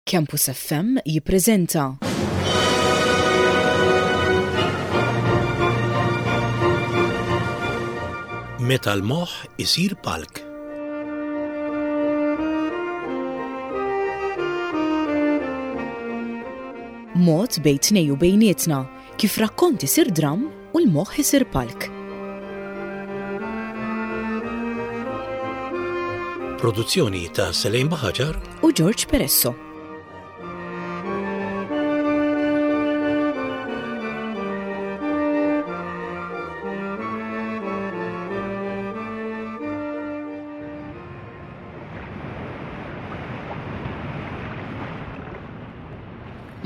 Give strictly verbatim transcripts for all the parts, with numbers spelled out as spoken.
Campus F M jippreżenta Meta l-moħħ isir palk. Mod bejn tnejn u bejnietna kif rakkont isir dram u l-moħħ isir palk. Produzzjoni ta' Selejn Baħaġar u George Peresso.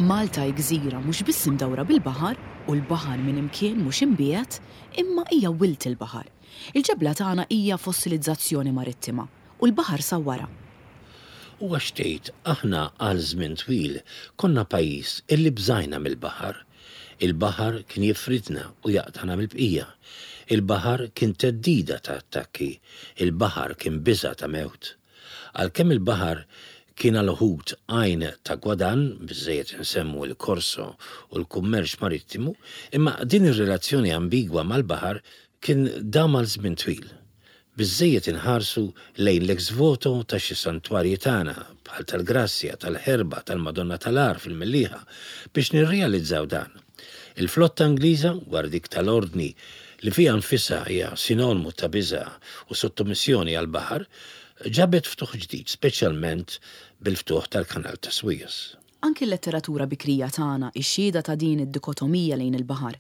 Malta hi gżira mhux biss imdawra bil-baħar u l-baħar minn imkien mhux imbiegħed, imma hija wilt il-baħar. Il-ġebla tagħna hija fossilizzazzjoni marittima u l-baħar sawwarha. U għax tgħid aħna għal żmien twil konna pajjiż illi bżajna mill-baħar. Il-baħar kien jifridna u jaqtana mill-bqija. Il-baħar kien theddida ta' attakki. Il-baħar kien biża' ta' mewt. Għalkemm il-baħar kien għal uħud għajn ta' gwadann, biżżejjed insemmu l-korso u l-kummerċ marittimu, imma din ir-relazzjoni ambigwa mal-baħar kien dam għal żmien twil. Biżżejjed inħarsu lejn l-ex voto ta' xi santwarji tagħna bħal tal-Grazzja, tal-Ħerba, tal-Madonna tal-Għar fil-Mellieħa biex nirrealizzaw dan. Il-flotta Ingliża, wara dik tal-Ordni li fiha nfisha hija sinonimu ta' biża' u sottomissjoni għall-baħar, ġabet ftuħ ġdid, speċjalment bil-ftuħ tal-Kanal ta' Suez. Anki l-letteratura bikrija tagħna ix-xhieda ta' din id-dikotomija lejn il-baħar.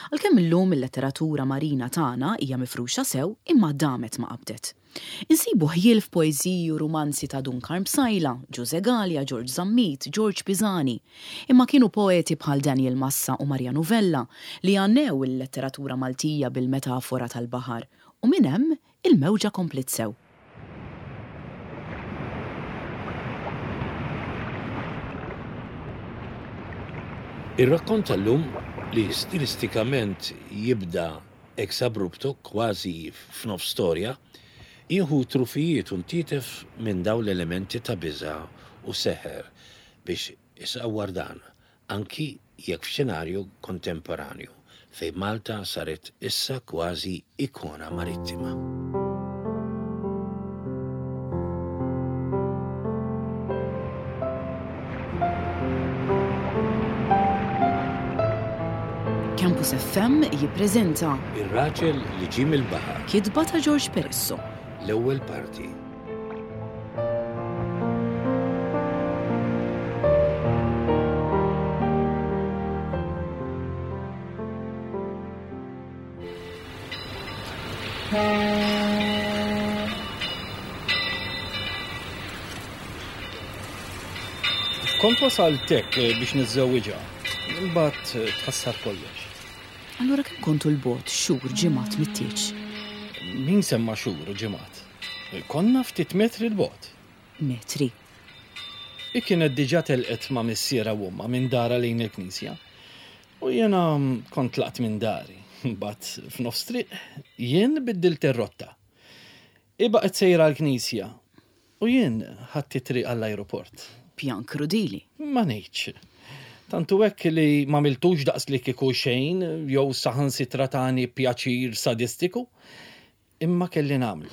Għalkemm illum il-letteratura marina tagħna hija mifruxa sew, imma damet ma qabdet. Insibu ħjiel f'poeżiji u rumanzi ta' Dun Karm Psaila, Ġużè Galea, George Zammit, George Pisani. Imma kienu poeti bħal Daniel Massa u Mariano Vella li għannew il-letteratura Maltija bil-metafora tal-baħar. U minn hemm il-mewġa kompliet sew. Ir-rakkont tal-lum li stilistikament jibda ex abrupto, kważi f'nofs storja, jieħu trufijiet u ntitef minn dawn l-elementi ta' biża' u seħer biex isawwar dan, anki jekk f'xenarju kontemporanju fejn Malta saret issa kważi ikona marittima. Campus F M jippreżenta Ir-raġel li ġie mill-baħar. Kitba ta' George Peresso. L-ewwel parti. Kont wasalt hekk biex niżżewwiġha, imbagħad tħassar kollox. Allura kemm kontu 'l bogħod, xhur, ġimgħat mit-tieġ? Min semma xhur u ġimgħat? Konna ftit metri 'l bogħod. Metri. Hi kienet diġà telqet ma' missierha u ommha minn darha lejn il-knisja. U jiena kont tlaqt minn dari. Mbagħad f'nofs triq jien biddilt ir-rotta. Hi baqgħet sejra l-knisja. U jien ħadt it-triq għall-ajruport. Pjan krudili. Ma ngħidx. Tantu hekk li m'għamiltux daqs li kieku xejn jew saħansitra tani pjaċir sadistiku, imma kelli nagħmlu.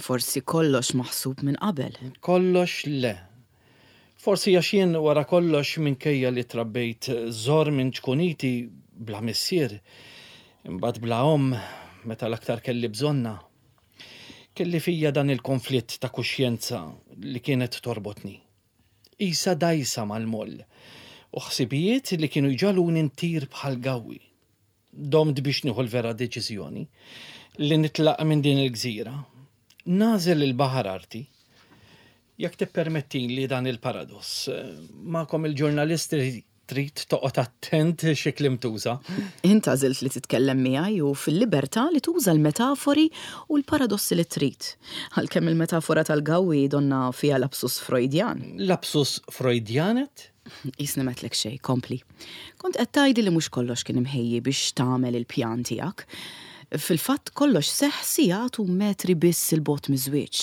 Forsi kollox maħsub minn qabel. Kollox le. Forsi għax jien wara kollox, minkejja li trabbejt żor minn ċkuniti bla missier, imbagħad bla omm meta l-aktar kelli bżonna. Kelli fija dan il-konflitt ta' kuxjenza li kienet torbotni. Isa dgħajsa mal-moll u ħsibijiet li kienu jġagħluni ntir bħal gawwi. Domt biex nieħu l-vera deċiżjoni li nitlaq minn din il-gżira. Nagħżel il-baħar arti. Jekk tippermettili dan il-paradoss, magħkom il-ġurnalisti trid toqgħod attent xi kliem tuża. Int għażilt li titkellem miegħi u fil-libertà li tuża l-metafori u l-paradossi li trid. Għalkemm il-metafora tal-gawwi donna fiha lapsus Freudjan. Lapsus Freudjanet? Jisni metlek xej, kompli. Kont qed tgħidli li mhux kollox kien imħejji biex tagħmel il-pjan tiegħek. Fil-fatt kollox seħ sigħat u metri biss 'il bogħod miż-żwieġ.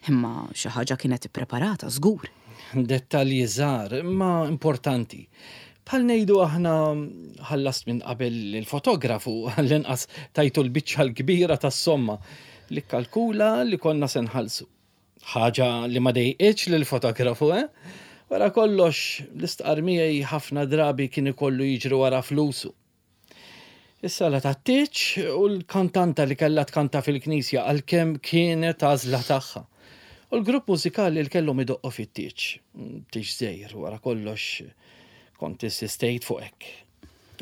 Imma xi ħaġa kienet ippreparata żgur. Dettalji żgħar, imma importanti. Bħal ngħidu aħna ħallast minn qabel il-fotografu għall-inqas tajtu l-biċċa l-kbira tas-somma li kalkula li konna se nħallsu. Ħaġa li ma dejqitx lill-fotografu, eh? Wara kollox, l-istqar miegħi ħafna drabi kien ikollu jiġri wara flusu. Is-sala tat-tieġ u l-kantanta li kellha tkanta fil-knisja għalkemm kienet għażla tagħha. U l-grupp mużikali li kellhom idoqqu fit-tieġ. Tieġ żgħir wara kollox kont insistejt fuq hekk.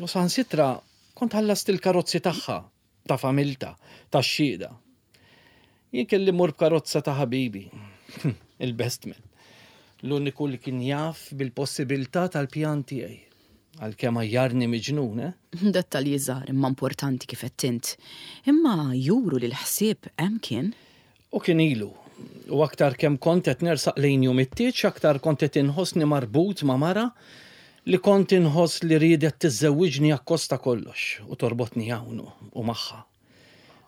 U saħansitra kont ħallast il-karozzi tagħha, ta' familta, tax-xhieda. Jien kelli mmur b'karozza ta' ħabibi, il-best man. L-uniku li kien jaf bil-possibilità tal-pjan tiegħi. Għalkemm għajjarni miġnun, eh? Dettalji żgħar imma importanti kif qed int. Imma juru li l-ħsieb hemm kien. U kien ilu. U aktar kemm kont qed nersaq lejn jum it-tieġ, aktar kont qed inħossni marbut ma' mara li kont inħoss li riedet tiżżewwiġni akkost ta' kollox u torbotni hawn u magħha.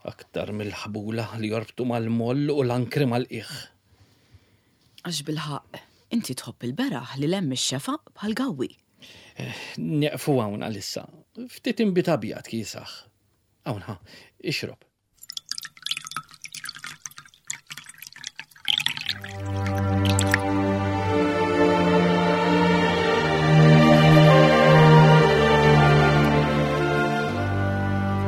Aktar mill-ħbula li jorbtu mal-moll u l-ankri mal-qiegħ. Għax bilħaqq, inti tħobb il-beraħ li hemm ix-xefaq bħal gawwi. Nieqfu hawn għalissa. Ftit inbid abjad kiesaħ. Hawn ħa, ixrob.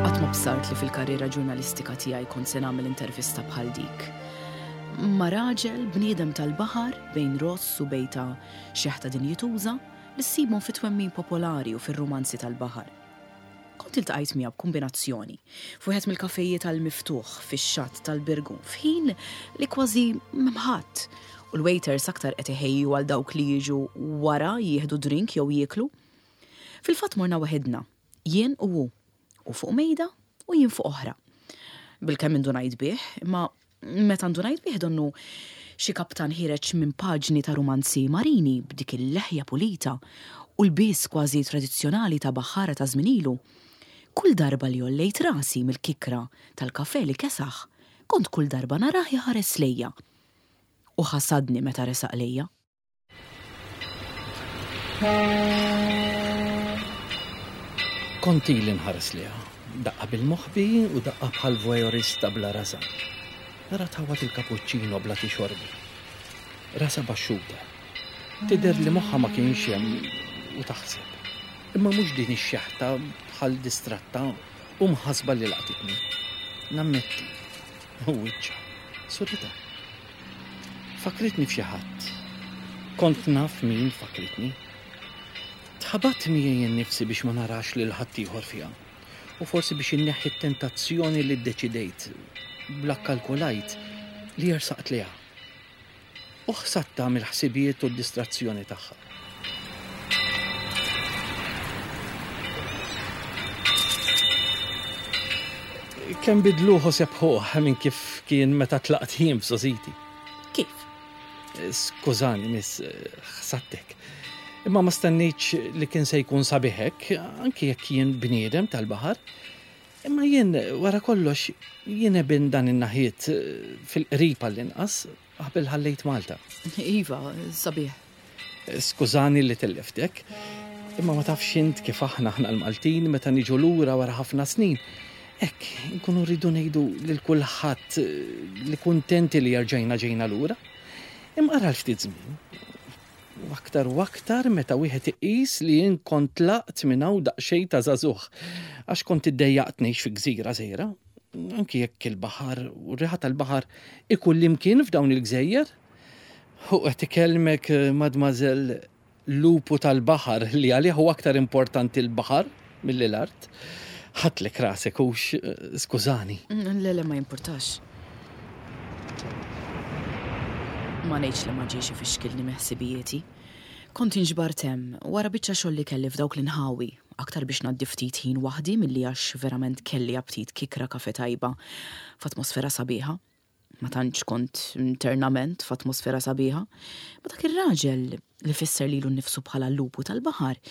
Qatt ma bsart li fil-karriera ġurnalistika tiegħi kont se nagħmel intervista bħal dik. Ma' raġel bniedem tal-baħar bejn ross u bejta xeħta dinjituża li ssibhom fit-twemmin popolari u fir-rumanzi tal-baħar. Kont iltqajt miegħu b'kombinazzjoni f'wieħed mill-kafejiet tal-miftuħ fix-xatt tal-Birgu f'ħin li kważi m'hemm ħadd u l-waiters aktar qed iħejju għal dawk li jiġu wara jieħdu drink jew jieklu. Fil-fatt morna waħedna, jien u hu, u fuq mejda u jien fuq oħra. Bilkemm indunajt bih, imma meta ndunajt bih donnu xi kaptan ħireġ minn paġni ta' rumanzi marini b'dik il-leħja pulita u l-bies kważi tradizzjonali ta' baħħara ta' żmien ilu. Kull darba li għollejt rasi mill-kikra tal-kafe li kesaħ, kont kull darba narah jaħares lejja. U ħasadni meta resaq lejja. Kont ili nħares lejha, daqqa bil-moħbi u daqqa bħal voyeurista bla rasa. Nara tħawwad il-kapuċċino bla tixorbu. Rasa baxxuta. Tidher li moħħha ma kienx hemm u taħseb. Imma mhux din ix-xeħta bħal distratta u mħasba li laqtitni. Nammetti, u wiċċha, surita. Fakritni f'xi ħadd. Kont naf min fakritni. Tħabat miegħi nnifsi biex ma narax lil ħaddieħor fiha. U forsi biex inneħħi t-tentazzjoni li ddeċidejt bla kalkulajt li jersaqt liha. U ħsatta mill-ħsibijiet u d-distrazzjoni tagħha. Kemm bidluħu sebħuh minn kif kien meta tlaqt jien f'żożiti. Kif? Skużani, miss, ħsattek. Imma ma stennejtx li kien se jkun sabiħek, anki jekk jien bniedem tal-baħar. Imma jien, wara kollox, jien ebin dan in-naħiet fil-qrib għall-inqas qabel ħallejt Malta. Iva, sabiħ. Skużani li telliftek, imma ma tafx int kif aħna aħna l-Maltin meta niġu lura wara ħafna snin. Hekk, nkunu rridu ngħidu lil kulħadd li kuntenti li rġajna ġejna lura. Imma ara l-ftit żmien. U aktar u aktar meta wieħed iqis li jien kont tlaqt minn hawn daqsxejn ta' żagħżugħ, għax kont iddejjaqt ngħix fi gżira żgħira, anki jekk il-baħar u r-riħa tal-baħar ikun limkien f'dawn il-gżejjer. U qed ikellmek, mademoiselle, lupu tal-baħar li għalih huwa aktar importanti l-baħar milli l-art. Ħadlek rasek hux, skużani. Le, le, ma jimpurtax. Ma ngħidx li ma ġiex ifixkilni meħsibijieti. Kont inġbart hemm wara biċċa xogħol li kelli f'dawk l-inħawi, aktar biex ngħaddi ftit ħin waħdi milli għax verament kelli aptit kikra kafe tajba f'atmosfera sabiħa. Ma tantx kont internament f'atmosfera sabiħa, ma dak ir-raġel li fisser lilu nnifsu bħala l-lupu tal-baħar,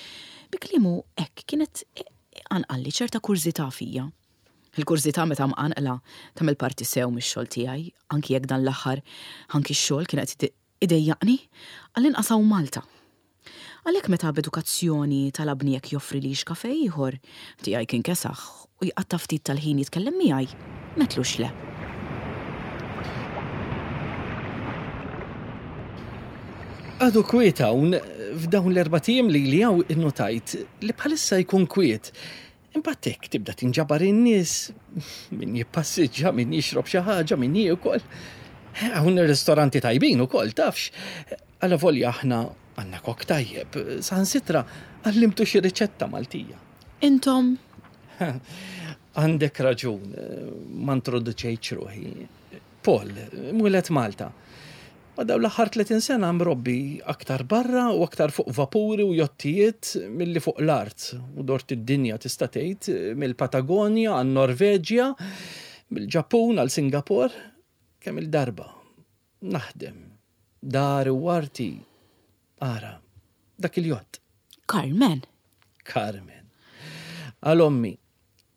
bi kliemu hekk kienet anqalli ċerta kurżità fija. Il-kurżità meta mqanqla tagħmel parti sew mix-xogħol tiegħi, anki jekk dan l-aħħar anki x-xogħol kien qed Idejjaqni, għall-inqas hawn Malta. Għalhekk meta b'edukazzjoni talabni jekk joffrilix kafe ieħor, tiegħi kien kesaħ u jqatta' ftit tal-ħin jitkellem miegħi, m'għedtlux le. Għadu kwiet hawn, f'dawn l-erbat ijiem li li hawn innotajt li bħalissa jkun kwiet. Imbagħad hekk tibda tinġabar in-nies, min jippassiġġa, min jixrob xi ħaġa, min jiekol. Hawn ir-ristoranti tajbin ukoll, tafx. Alavolja aħna għandna kok tajjeb, saħansitra għallimtu xi riċetta Maltija. Intom? Għandek raġun, ma introduċejtx ruħi. Paul, mwieled Malta. Ma dawn l-aħħar tletin sena mrobbi aktar barra u aktar fuq vapuri u jottijiet milli fuq l-art. U dort id-dinja tista' tgħid mill-Patagonja għan-Norveġja, mill-Ġappun għal Singapore, kemm il-darba naħdem dari u arti. Ara, dak il-jott. Carmen. Carmen. Għal ommi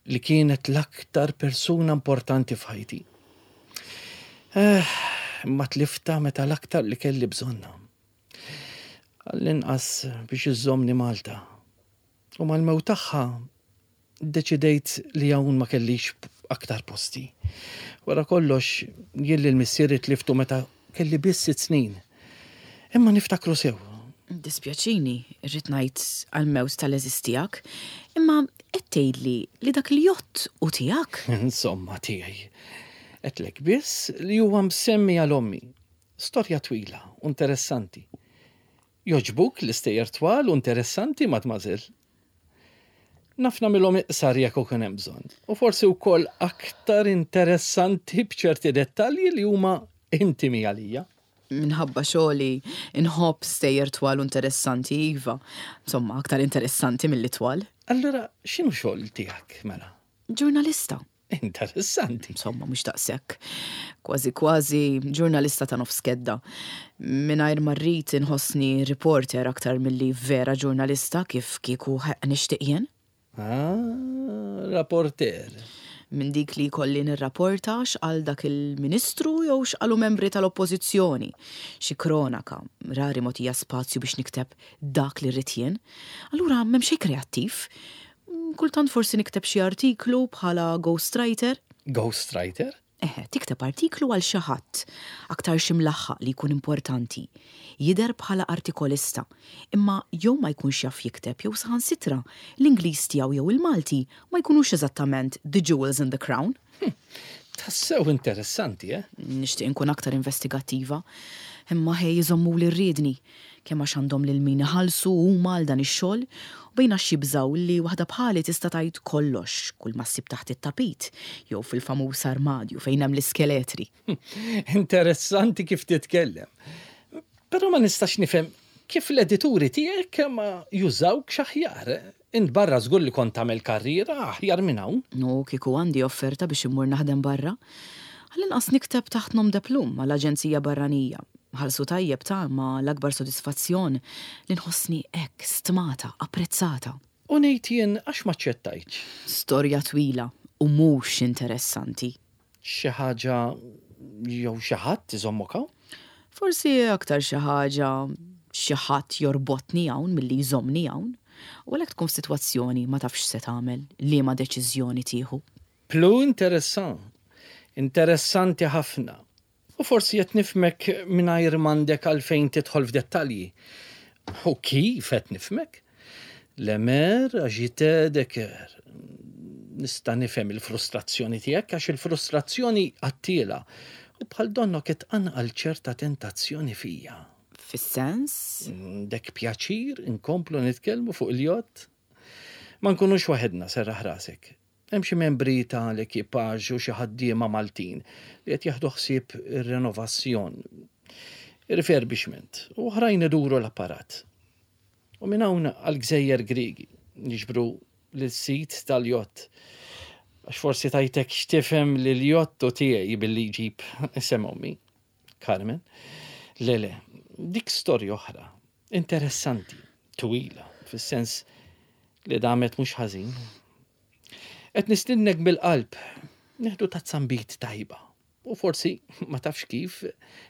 li kienet l-aktar persuna importanti f'ħajti. Eh, ma tlifta meta l-aktar li kelli bżonna. Għall-inqas biex iżżommni Malta. U mal-mewt tagħha ddeċidejt li hawn ma kellix aktar posti. Wara kollox, jien lil missieri tliftu meta kelli biss sitt snin. Imma niftakru sew. Dispjaċini, irrid ngħid għall-mewt tal-eżis tiegħek, imma qed tgħidli li dak il-jott hu tiegħek? Insomma tiegħi. Għedtlek biss li huwa msemmi għal ommi. Storja twila u interessanti. Joġbuk l-istejjer twal u interessanti, mademoiselle? Naf nagħmilhom iqsar jekk ikun hemm bżonn. U forsi wkoll aktar interessanti b'ċerti dettalji li huma intimi għalija. Minħabba xogħli inħobb stejjer twal u interessanti, iva. Insomma, aktar interessanti milli twal. Allura, x'inhu xogħol tiegħek, mela? Ġurnalista. Interessanti. Insomma, mhux daqshekk. Kważi kważi ġurnalista ta' nofs kedda. Mingħajr ma rrid inħossni reporter aktar milli vera ġurnalista kif kieku nixtieq jien. Ah, rapporter. Minn dik li kolli nirrapporta x'qal dak il-ministru jew x'qalu membri tal-oppożizzjoni. Xi kronaka, rari mogħtija spazju biex nikteb dak li rrid jien. Allura m'hemm xejn kreattiv. Kultant forsi nikteb xi artiklu bħala ghostwriter. Ghostwriter? Eħe, tikteb artiklu għal xi ħadd, aktar xi mlaħħaq li jkun importanti. Jidher bħala artikolista, imma jew ma jkunx jaf jikteb jew saħansitra l-Ingliż tiegħu jew il-Malti ma jkunux eżattament the jewels in the crown. Hm, tassew interessanti, eh? Nixtieq inkun aktar investigattiva, imma ħej jżommuli r-riedni, kemm għax għandhom lil min iħallsu huma għal dan ix-xogħol, u bejn għax jibżgħu li waħda bħali tista' tgħid kollox, kull ma ssib taħt it-tapit, jew fil-famuż armadju fejn hemm l-iskeletri. Interessanti kif titkellem. Però ma nistax nifhem kif l-edituri tiegħek ma jużawkx aħjar. Int barra żgur li kont tagħmel karriera aħjar minn hawn. No, kieku għandi offerta biex immur naħdem barra. Għall-inqas nikteb taħt nom de plum għall-aġenzija barranija. Ħalsu tajjeb ta' ma l-akbar sodisfazzjon li nħossni hekk stmata, apprezzata. U ngħid jien għax ma ċċettajtx? Storja twila u mhux interessanti. Xi ħaġa jew xi ħadd iżommok hawn? Forsi aktar xi ħaġa xi ħadd jorbotni hawn milli jżommni hawn. U għalhekk tkun f'sitwazzjoni ma tafx se tagħmel, liema deċiżjoni tieħu. Plu interessant. Interessanti ħafna. U forsi qed nifhmek mingħajr m'għandek għalfejn tidħol f'dettalji. U kif qed nifhmek? Le mer agité de cœur. Nista' nifhem il-frustrazzjoni tiegħek għax il-frustrazzjoni qattiela u bħal donnok qed tqanqal ċerta tentazzjoni fija. Fis-sens? Dek pjaċir inkomplu nitkellmu fuq il-jott? Ma nkunux waħedna, serraħ rasek. Hemm xi membri tal-ekipaġġ u xi ħaddiema Maltin li qed jaħdu ħsieb ir-renovazzjon, ir-refurbishment u oħrajn iduru l-apparat. U minn hawn għall-Gżejjer Griegi niġbru lis-sit tal-jott. Għax forsi tajtek x'tifhem li l-jott u tiegħi billi jġib isem ommi, Carmen. Le, le, dik storja oħra, interessanti, twila, fis-sens li damet mhux ħażin. Qed nistinnek bil-qalb, nieħdu tazza nbid tajba U forsi ma tafx kif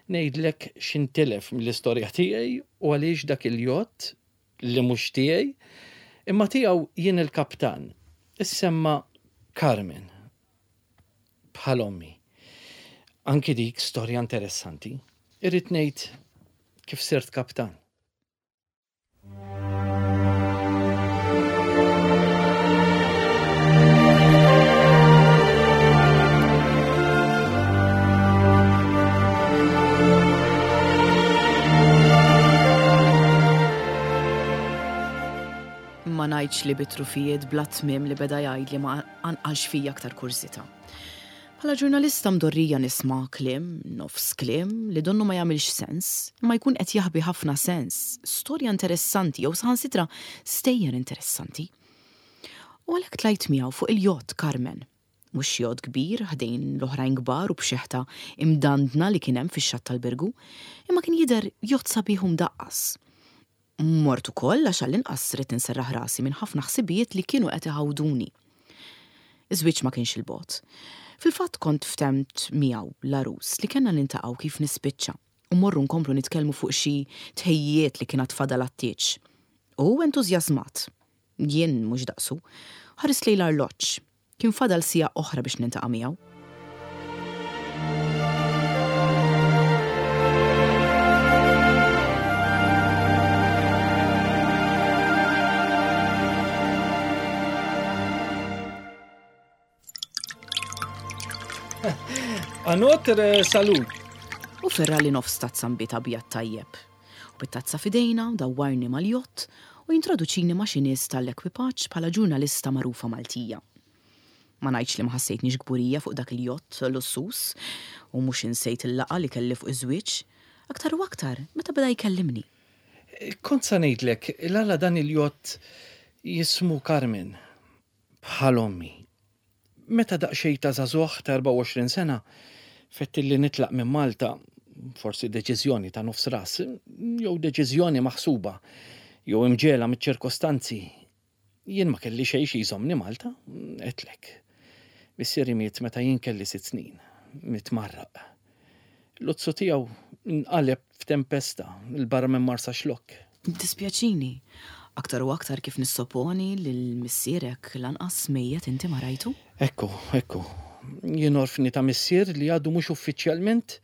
ngħidlek x'intilef mill-istorja tiegħi u għaliex dak il-jott li mhux tiegħi imma tiegħu jien il-kaptan. Issemma Carmen. Bħal ommi. Anki dik storja interessanti. Irrid ngħid kif sirt kaptan. Ma ngħidx li bitrufijiet bla tmiem li beda jgħidli ma anqalx fija aktar kurżità. Bħala ġurnalista mdorrija nisma' kliem, nofs kliem, li donnu ma jagħmilx sens, imma jkun qed jaħbi ħafna sens, storja interessanti jew saħansitra stejjer interessanti. U għalhekk tlajt miegħu fuq il-jott Carmen. Mhux jott kbir ħdejn l-oħrajn kbar u b'xeħta imdandna li kien hemm fix-xatt tal-Birgu, imma kien jidher jott sabiħ u mdaqqas. Mort ukoll għax għall-inqas ridt inserraħ rasi minn ħafna ħsibijiet li kienu qed iħawduni. Iż-żwieġ ma kienx il-bogħod. Fil-fatt kont ftemt miegħu l-għarus li kellna niltaqgħu kif nispiċċa u morru nkomplu nitkellmu fuq xi tħejjiet li kien għad fadal għat-tieġ. U entużjażmat. Jien mhux daqsu. Ħares lejn l-arloġġ. Kien fadal siegħa oħra biex nintaqa' miegħu. À notre salut. U ferrali nofs tazza nbid abjad tajjeb. U bit-tazza f'idejna dawwarni mal-jott u jintroduċini ma' xi nies tal-ekwipaġġ bħala ġurnalista magħrufa Maltija. Ma ngħidx li ma ħassejtniex kburija fuq dak il-jott lussus u mhux insejt il-laqgħa li kelli fuq iż-żwieġ, aktar u aktar meta beda jkellimni. Kont sa ngħidlek, l-għala dan il-jott jismu Carmen bħal ommi. Meta daqsxejn ta' żagħżugħ ta' erbgħa u għoxrin sena, fetti li nitlaq minn Malta, forsi deċiżjoni ta' nofs ras, jew deċiżjoni maħsuba, jew imġela miċ-ċirkostanzi. Jien ma kelli xejn xi jżommni Malta, għedtlek. Missieri miet meta jien kelli sitt snin, miet marraq. L-luzzu tiegħu nqaleb f'tempesta il barra minn Marsaxlokk. Dispjaċini, aktar u aktar kif nissoponi lil missierek lanqas mejjet inti ma rajtu? Ekku, ekku. Jien orfni ta' missier li għadu mhux uffiċjalment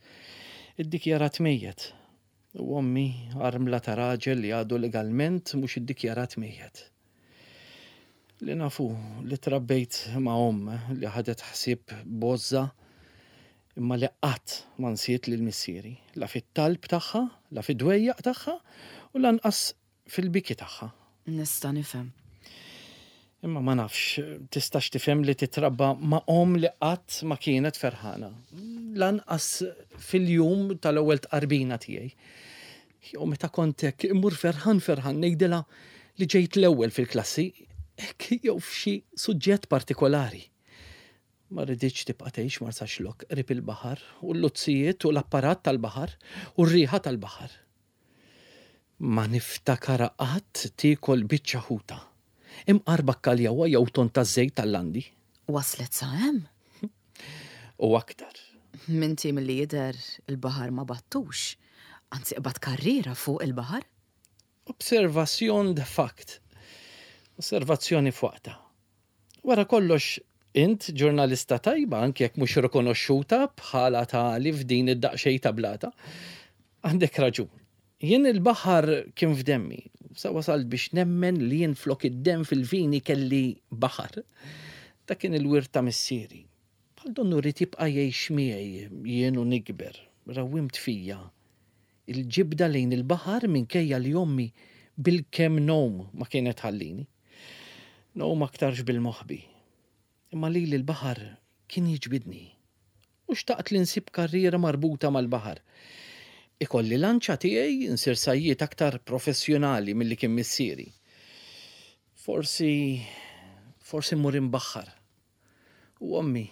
iddikjarat mejjet. U ommi armla ta' raġel li għadu legalment mhux iddikjarat mejjet. Li nafu li trabbejt ma' omm li ħadet ħsieb bozza imma li qatt ma nsiet lil missieri, la fit-talb tagħha, la fid-dwejjaq tagħha u lanqas fil-biki tagħha. Nista' nifhem. Imma ma nafx, tistax tifhem li titrabba ma' omm li qatt ma kienet ferħana. Lanqas fil-jum tal-ewwel tqarbina tiegħi. Jew meta kont hekk immur ferħan ferħan ngħidilha li ġejt l-ewwel fil-klassi, hekk jew f'xi suġġett partikolari. Ma rridx tibqa' tgħix Marsaxlokk qrib il-baħar u l-luzzijiet u l-apparat tal-baħar u r-riħa tal-baħar. Ma niftakara qatt tiekol biċċa ħuta. Imqar bakkaljawa jew ton ta' żejt tal-landi. Waslet sa hemm? U aktar. Minti milli jidher il-baħar ma battux. Anzi qbad karriera fuq il-baħar. Observazzjon de fact. Osservazzjoni f'waqta. Wara kollox, int ġurnalista tajba anke jekk mhux rikonoxxuta bħala tali f'din id-daqsxejn ta' blata. Għandek raġun. Jien il-baħar kien f'demmi. Sa wasalt biex nemmen li jien flok id-demm fil-vini kelli baħar. Dak kien il-wirt ta' missieri. Bħal donnu rrid jibqa' jgħix miegħi jien u nikber. Rawwimt fija il-ġibda lejn il-baħar minkejja li ommi bil-kemm nom ma kienet ħallini. Nom aktarx bil-moħbi. Imma lili l-baħar kien jiġbidni. U xtaqt li nsib karriera marbuta mal-baħar. Ikolli lanċa tiegħi nsir sajjiet aktar professjonali milli kien missieri. Forsi, forsi mmur imbaħħar. U ommi,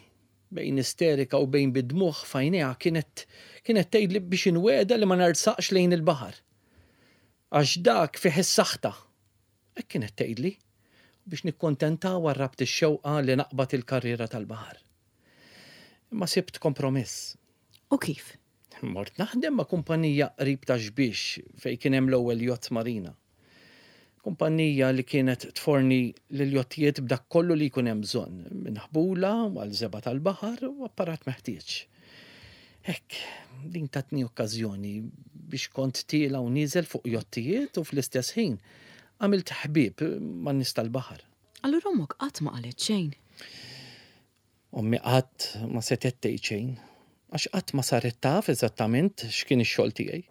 bejn isterika u bejn bidmuħ fajnejha kienet, kienet tgħidli biex inweda li ma narsaqx lejn il-baħar. Għax dak fih is-saħta. Hekk kienet tgħidli biex nikkontenta warrabt ix-xewqa li naqbad il-karriera tal-baħar. Imma sibt kompromiss. U kif? Mort naħdem ma' kumpanija qrib ta' Xbiex fejn kien hemm l-ewwel jott marina. Kumpanija li kienet tforni lil jottijiet b'dak kollu li jkun hemm bżonn, minn ħbula għal żebgħa tal-baħar u apparat meħtieġ. Hekk, din tatni okkażjoni biex kont tiela u nieżel fuq jottijiet u fl-istess ħin għamilt ħbieb man nies tal-baħar. Allura ommok qatt ma qalet xejn. Ommi qatt ma setgħet tgħid xejn, għax qatt ma saret taf eżattament x'kien ix-xogħol tiegħi.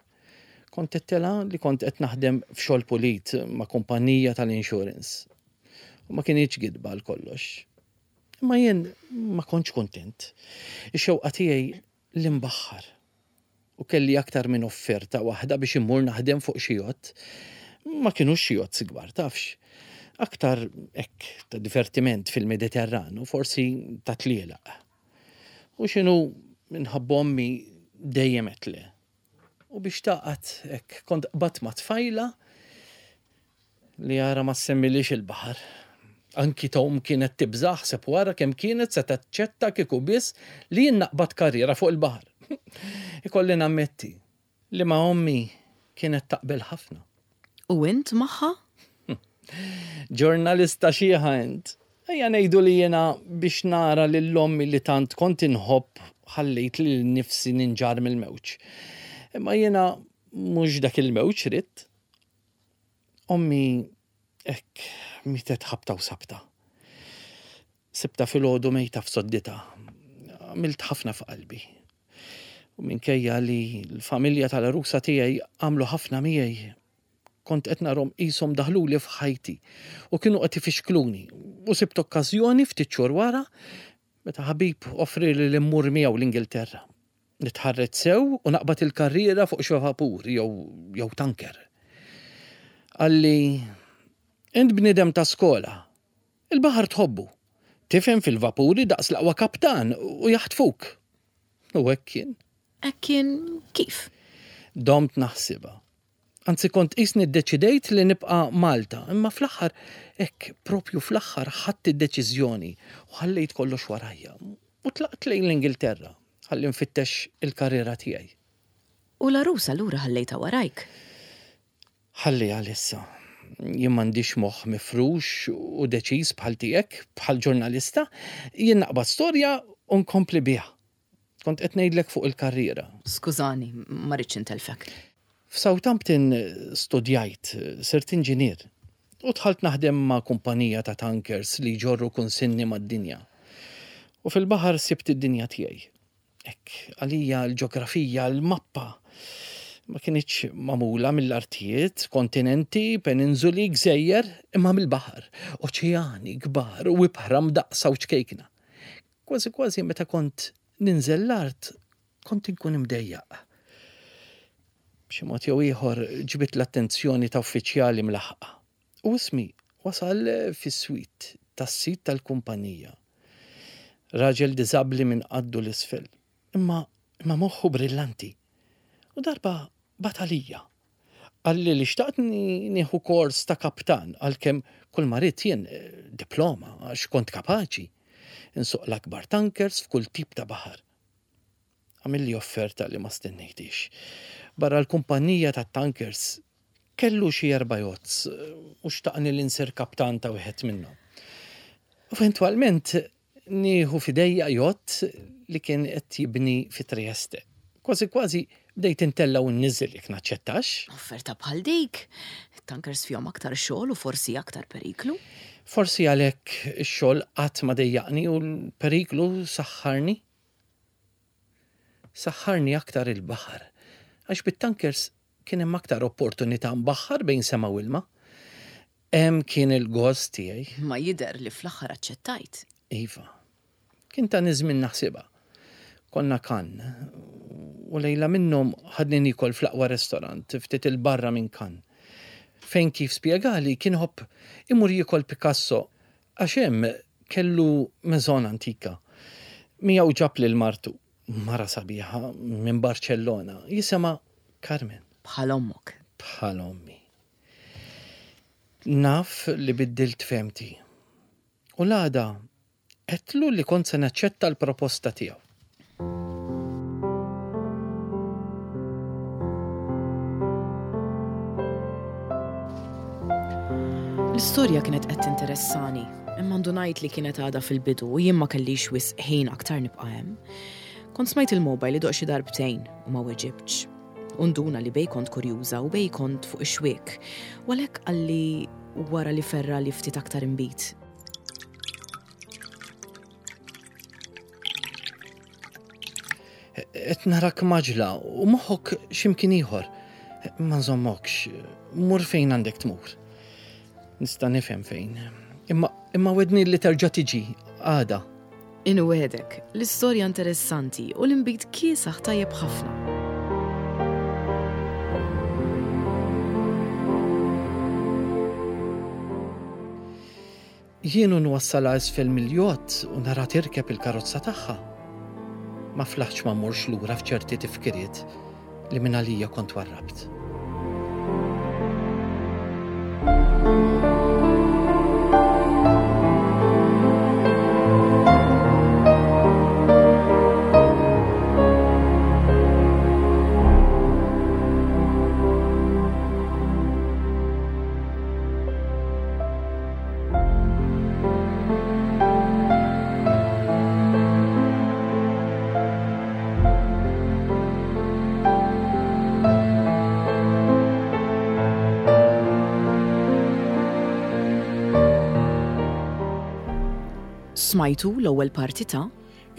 Kont għedtilha li kont qed naħdem f'xogħol pulit ma' kumpanija tal-insurance. U ma kinitx gidba għal kollox. Imma jien ma kontx kuntent. Ix-xewqa tiegħi li nbaħħar. U kelli aktar minn offerta waħda biex immur naħdem fuq xi jott. Ma kinux xi jott kbar, tafx. Aktar hekk ta' divertiment fil-Mediterran u forsi ta' tlielaq. U x'inhu minħabba ommi dejjem għedt le. U biex taqgħad hekk kont qbadt ma' tfajla li ara ma semmilix il-baħar. Anki Tom kienet tibża' ħseb wara kemm kienet se taċċetta kieku biss li jien naqbad karriera fuq il-baħar. Ikolli nammetti li ma' ommi kienet taqbel ħafna. U int magħha? Ġurnalista xiħa int. Ejja ngħidu li jiena biex nara lil ommi li tant kont inħobb ħallejt lil nifsi ninġar mill-mewġ. Imma jiena mhux dak il-mewġ ridt. Ommi hekk mietet ħabta u sabta. Sibtha filgħodu mejta f'sodditha. Għamilt ħafna f'qalbi. U minkejja li l-familja tal-għarusa tiegħi għamlu ħafna miegħi, kont qed narhom qishom daħluli f'ħajti u kienu qed ifixkluni. U sibt okkażjoni ftit xhur wara meta ħabib offrieli li mmur miegħu l-Ingilterra. Nitħarreġ sew u naqbad il-karriera fuq xi vapur jew jew tanker. Qalli, int bniedem ta' skola, il-baħar tħobbu, tifhem fil-vapuri daqs l-aqwa kaptan u jaħtfuk. U hekk kien. Hekk kien kif? Domt naħsibha. Anzi kont qisni ddeċidejt li nibqa' Malta, imma fl-aħħar hekk propju fl-aħħar ħadt id-deċiżjoni u ħallejt kollox warajja. U tlaqt lejn l-Ingilterra ħalli nfittex il-karriera tiegħi. U l-għarusa allura ħallejtha warajk? Ħalli għalissa. Jien m'għandix moħħ mifrux u deċiż bħal tiegħek, bħal ġurnalista, jien naqbad storja u nkompli biha. Kont qed ngħidlek fuq il-karriera. Skużani, ma rridx intelfek. F'Southampton studjajt, sirt inġinier u dħalt naħdem ma' kumpanija ta' tankers li jġorru kunsinni mad-dinja. U fil-baħar sibt id-dinja tiegħi. Hekk, għalija l-ġeografija, l-mappa ma kinitx magħmula mill-artijiet, kontinenti, peninsuli, gżejjer, imma mill-baħar, oċeani kbar u ibħra mdaqqsa u ċkejkna. Kważi kważi meta kont ninżel l-art, kont inkun imdejjaq. B'xi mod jew ieħor ġbidt l-attenzjoni ta' uffiċjali mlaħqa. U ismi wasal fis-swit tas-sid tal-kumpanija. Raġel diżabbli minn qaddu 'l isfel, imma imma moħħu brillanti. U darba bagħat għalija. Qalli li xtaqtni nieħu kors ta' kaptan għalkemm kull ma ridt jien diploma għax kont kapaċi. Insuq l-akbar tankers f'kull tip ta' baħar. Għamilli offerta li ma stennejtix. Barra l-kumpanija ta' tankers kellu xi erba' jotts u xtaqni li nsir kaptan ta' wieħed minnhom. Eventwalment nieħu f'idejja jott li kien qed jibni fi Trieste. Kważi kważi bdejt intella' u nniżżel jekk naċċettax. Offerta bħal dik, tankers fihom aktar xogħol u forsi aktar periklu. Forsi għalhekk ix-xogħol qatt ma dejjaqni u l-periklu saħħarni. Saħħarni aktar il-baħar, għax bit-tankers kien hemm aktar opportunità mbaħħar bejn sema u ilma. Hemm kien il-gost tiegħi. Ma jidher li fl-aħħar aċċettajt. Iva. Kien ta' żmien naħsibha. Konna Cannes u lejla minnhom ħadni nikol fl-aqwa restorant ftit 'il barra minn Cannes. Fejn kif spjegali kien iħobb imur jiekol Picasso għax hemm kellu maison antika. Miegħu ġab lil martu, mara sabiħa minn Barcellona, jisimha Carmen. Bħal ommok. Bħal ommi. Naf li biddilt fehmti. U l-għada għedtlu li kont se naċċetta l-proposta tiegħu. L-istorja kienet qed tinteressani, imma ndunajt li kienet għadha fil-bidu u jien ma kellix wisq ħin aktar nibqa' hemm. Kont smajt il-mobile idoqq xi darbtejn u ma weġibtx. U nduna li bejn kont kurjuża u bejn kont fuq ix-xwiek. U għalhekk qalli wara li ferragħli ftit aktar inbid. Qed narak maġla u moħħok x'imkien ieħor. Ma nżommokx, mur fejn għandek tmur. Nista' nifhem fejn. Imma imma wedni li terġa' tiġi għada. Inwegħdek, l-istorja interessanti u l-inbid kiesaħ tajjeb ħafna. Jien u nwassalha isfel mill-jott u nara tirkeb il-karozza tagħha. Ma flaħtx ma mmurx lura f'ċerti tifkiriet li minn għalija kont warrabt. Smajtu l-ewwel parti ta'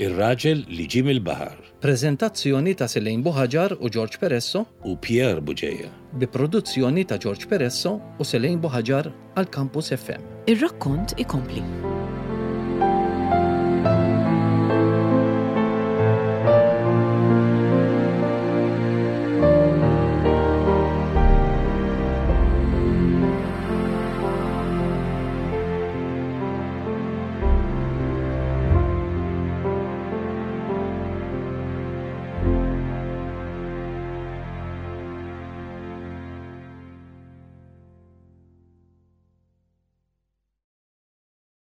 Ir-raġel li ġie mill-baħar. Preżentazzjoni ta' Selaine Buhagiar u George Peresso u Pierre Bugeja. Bi produzzjoni ta' George Peresso u Selaine Buhagiar għal Campus F M. Ir-rakkont ikompli.